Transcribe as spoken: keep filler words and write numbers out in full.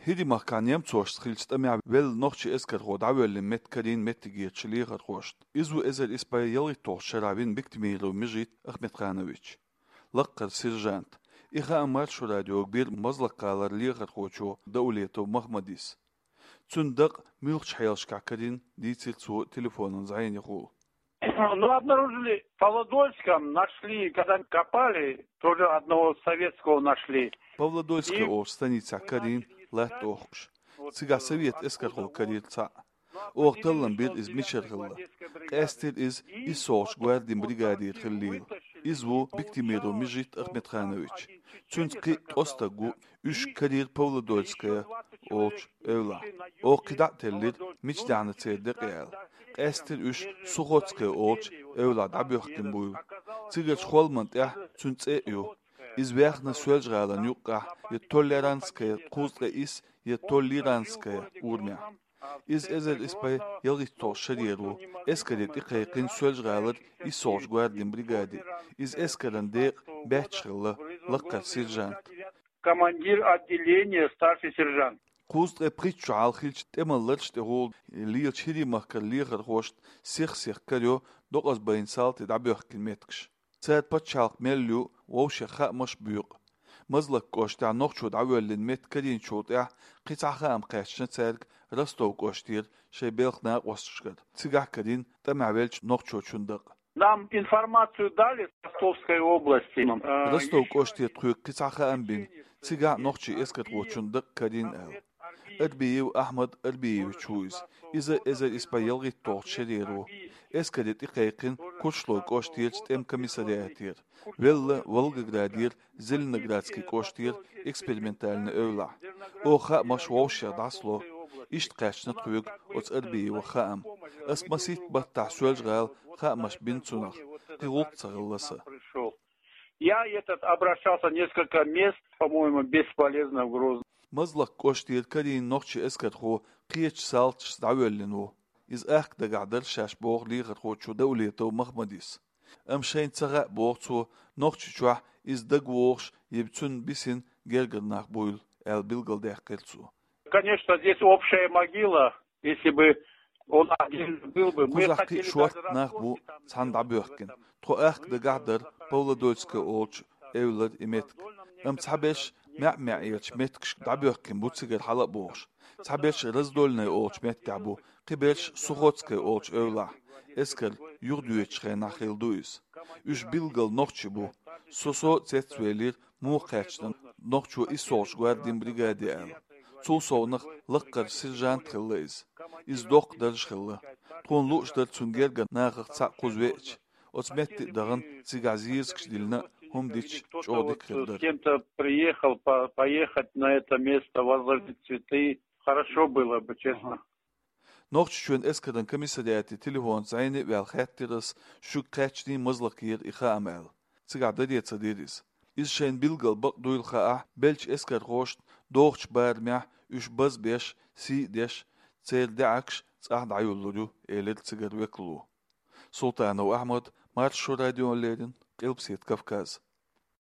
ХӀирийн махкахь немцошца хиллачу тӀамехь велла нохчийн эскархо дӀавоьллина меттиг карийна меттигерчу лехархошна. Иза ву эзар исс бӀе ялхитталгӀачу шарахь вина Биктимиров Межит Ахмедханович. Лаккхара сержант. И хаам Маршо радиога бира Мазлакъ-гӀалара лехархочо Даулетов Махмадис. Цуьнан дакъа муьлхачу хьелашкахь карийна дийцира цо телефонан зӀенехула. Ну, обнаружили в Павлодольском, нашли, когда копали, тоже одного советского нашли. Павлодольская олучу станицехь карийна латта охкуш. Цигахь совет эскархо карийра цхьаъ. Оха таллам бира иза мичара хилла. Къаьстира иза иссолгӀачу гвардин бригадера хиллийла. Иза ву Биктимиров Межит Ахмедханович. Цуьнца кхин а ткъа стаг ву, уьш карийра Павлодольская олучу эвлахь. Оха кхин дӀа а теллира, мича даьхьна церан декъе аьлла. Къаьстира уьш Сухоцкая олучу эвлахь дӀабоьхкина буйла. Цигарчу холман тӀехь цуьнан цӀе а ю. Иза ваьхна Соьлжа-ГӀалина юккъехь я Толлеранская кхузткъе исс, я Толлеранская урамехь. Иза эзар исс бӀе ялхитталгӀачу шарера ву, эскаре тӀекхайкхина Соьлжа-ГӀалара иссолгӀачу гвардин бригаде. Иза эскаран декъан баьчча хилла, лаккхара сержант. Командир отделения, старший сержант. Кхузткъе пхийтта шо хьалха хиллачу тӀеман лараш тӀехула лелачу ХӀирийн махкара лехархошна сих-сиха карайо докъазбайна салти дӀабоьхкина меттигаш. Цара пачхьалкх мел ю вовшех хаамаш а боькъу. Мазлакъ кӀоштахь нохчо дӀавоьллина меттиг карийначул тӀаьхьа кхин цхьа хаам кхаьчна цаьрга Ростов кӀоштера шайн белхан накъосташкара. Цигахь карийна тӀамехь веллачу нохчочун дакъа. Нам информацию дали с Ростовской области. Э, Ростов кӀоштера тхоьга кхин цхьа хаам бина, цигахь нохчийн эскархочун дакъа карийна аьлла. Арбиев Ахьмад Арбиевич ву иза. Иза эзар исс бӀе ялхитталгӀачу шарера ву. Эскаре тӀекхайкхина Куршлой кӀоштерчу тӀеман комиссариатера. Велла Волгоградера Зеленоградский кӀоштера экспериментальный эвлахь. Оха хаамаш вовшех дӀасало. Иштта кхаьчна тхоьга оцу Арбиевах хаам. Ас масийтта баттахь Соьлжа-ГӀала хаамаш бина цунах. Кхин гӀуллакх ца хилла сан. Я этот обращался несколько мест, по-моему, бесполезно в Грозном. Мазлакъ кӀоштера карийна нохчийн эскархо кхечу салташца дӀавоьллина ву. Иза ахка дагахь дара шаьш боху лехархочо Даулетов Махмадис. Амма шайна ца хаьа боху цо, Нохчийчохь иза дагавогӀуш я цунна бисина гергара нах буйла, аьлла билгалдаьккхира цо. Конечно, здесь общая могила. Если бы он один был бы, мы Кхузахь кхин а хотели шортта тогда нах бу цхьаьна дӀабоьхкина. Тхо ахка дагахь дара Павлодольская олучу эвлара и меттиг. Амма цхьаберш маьӀ-маьӀӀерчу меттигашка дӀабоьхкина бу цигара хьала а богӀуш. Цхьаберш Раздольная олучу меттехь бу, кхиберш Сухоцкая олучу эвлахь. Эскар юхадоьдучу хенахь хилла ду иза. Уьш билггал нохчий бу. Со-со а цецвелира, муха кхаьчна нохчо иссолгӀачу гвардин бригаде аьлла. Цул совнах лаккхара сержант хилла иза. Иза доккха дарж хилла. Тхуна лууш дара цунна гергара нахах цхьаъ кхуза веача. Оцу метте а дахана, цигахь зезагаш диллина а, хӀума дича, чӀогӀа дика хир дара. С кем-то приехал по- поехать на это место, возложить цветы. Хорошо было бы, честно. Нохчийчоьнан эскаран комиссариате телефонца зӀене а ваьлла хаьттира ас, шуьга кхаьчний Мазлакъера и хаам аьлла. Цигахь даре ца дира иза. Иза шайна билггал бакъ дуйла хаахь, беллачу эскархошна догӀучу барамехь уьш базбеш, сий а деш, церан даьӀахкаш цӀахь дӀайолалур ю, элира цигара векало. Султанов Ахьмад, Маршо радиона леррина, Къилбаседа Кавказ.